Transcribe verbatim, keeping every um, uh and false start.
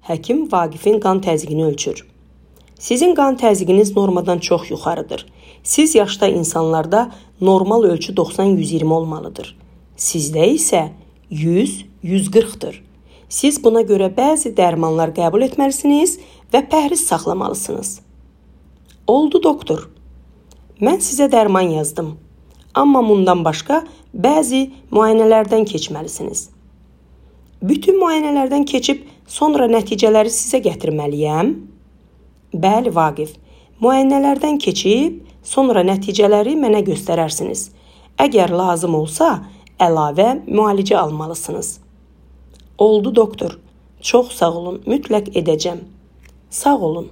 Həkim Vaqifin qan təzyiqini ölçür. Sizin qan təzyiqiniz normadan çox yuxarıdır. Siz yaşda insanlarda normal ölçü doxsan yüz iyirmi olmalıdır. Sizdə isə yüz yüz qırxdır. Siz buna görə bəzi dərmanlar qəbul etməlisiniz və pəhriz saxlamalısınız. Oldu doktor. Mən sizə dərman yazdım. Amma bundan başqa bəzi müayinələrdən keçməlisiniz. Bütün müayinələrdən keçib sonra nəticələri sizə gətirməliyəm? Bəli, Vaqif. Müayinələrdən keçib sonra nəticələri mənə göstərərsiniz. Əgər lazım olsa, əlavə müalicə almalısınız. Oldu doktor. Çox sağ olun, mütləq edəcəm. Sağ olun.